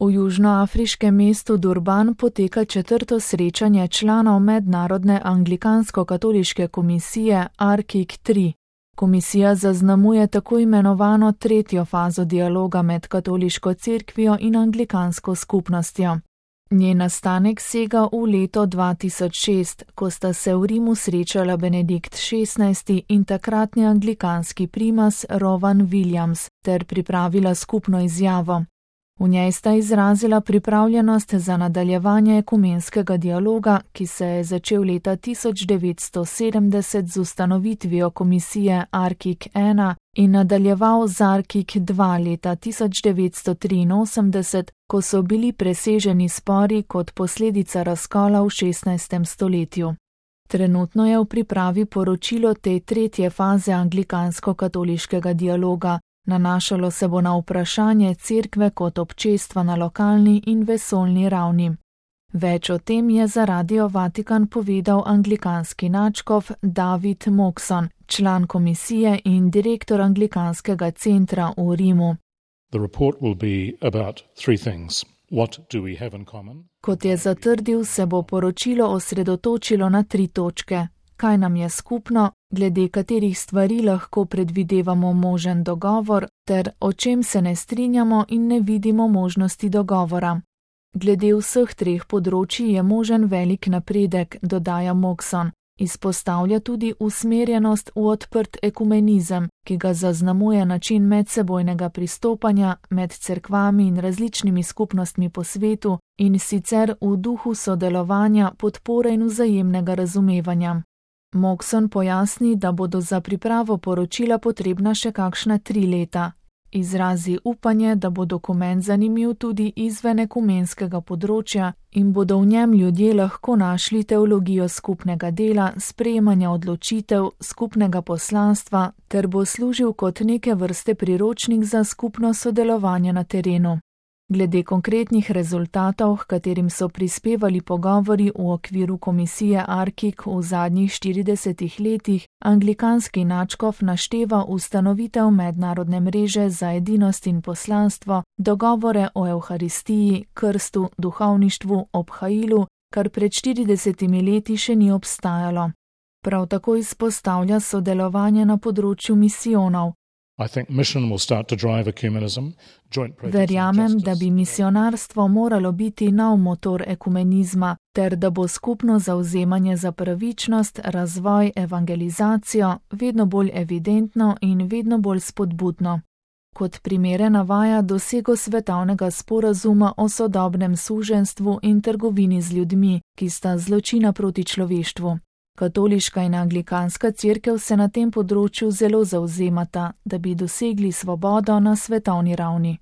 V južnoafriškem mestu Durban poteka 4. srečanje članov Mednarodne anglikansko-katoliške komisije ARKIK-3. Komisija zaznamuje tako imenovano 3. fazo dialoga med katoliško cerkvijo in anglikansko skupnostjo. Njen nastanek sega v leto 2006, ko sta se v Rimu srečala Benedikt XVI in takratni anglikanski primas Rowan Williams ter pripravila skupno izjavo. V njej sta izrazila pripravljenost za nadaljevanje ekumenskega dialoga, ki se je začel leta 1970 z ustanovitvijo komisije ARKIK-1 in nadaljeval z ARKIK-2 leta 1983, ko so bili preseženi spori kot posledica razkola v 16. stoletju. Trenutno je v pripravi poročilo te 3. faze anglikansko-katoliškega dialoga. Nanašalo se bo na vprašanje cerkve kot občestva na lokalni in vesoljni ravni. Več o tem je za Radio Vatikan povedal anglikanski nadškof David Moxon, član komisije in direktor anglikanskega centra v Rimu. Kot je zatrdil, se bo poročilo osredotočilo na 3 točke. Kaj nam je skupno, glede katerih stvari lahko predvidevamo možen dogovor, ter o čem se ne strinjamo in ne vidimo možnosti dogovora. Glede vseh 3 področij je možen velik napredek, dodaja Moxon. Izpostavlja tudi usmerjenost v odprt ekumenizem, ki ga zaznamuje način medsebojnega pristopanja med cerkvami in različnimi skupnostmi po svetu, in sicer v duhu sodelovanja, podpore in vzajemnega razumevanja. Moxon pojasni, da bodo za pripravo poročila potrebna še kakšna 3 leta. Izrazi upanje, da bo dokument zanimiv tudi izven ekumenskega področja in bodo v njem ljudje lahko našli teologijo skupnega dela, sprejemanja odločitev, skupnega poslanstva ter bo služil kot neke vrste priročnik za skupno sodelovanje na terenu. Glede konkretnih rezultatov, katerim so prispevali pogovori v okviru komisije ARKIK v zadnjih 40 letih, anglikanski nadškof našteva ustanovitev mednarodne mreže za edinost in poslanstvo, dogovore o evharistiji, krstu, duhovništvu, obhajilu, kar pred 40 leti še ni obstajalo. Prav tako izpostavlja sodelovanje na področju misijonov. Verjamem, da bi misionarstvo moralo biti nov motor ekumenizma, ter da bo skupno zavzemanje za pravičnost, razvoj, evangelizacijo vedno bolj evidentno in vedno bolj spodbudno. Kot primere navaja dosego svetovnega sporazuma o sodobnem suženjstvu in trgovini z ljudmi, ki sta zločina proti človeštvu. Katoliška in anglikanska cerkev se na tem področju zelo zavzemata, da bi dosegli svobodo na svetovni ravni.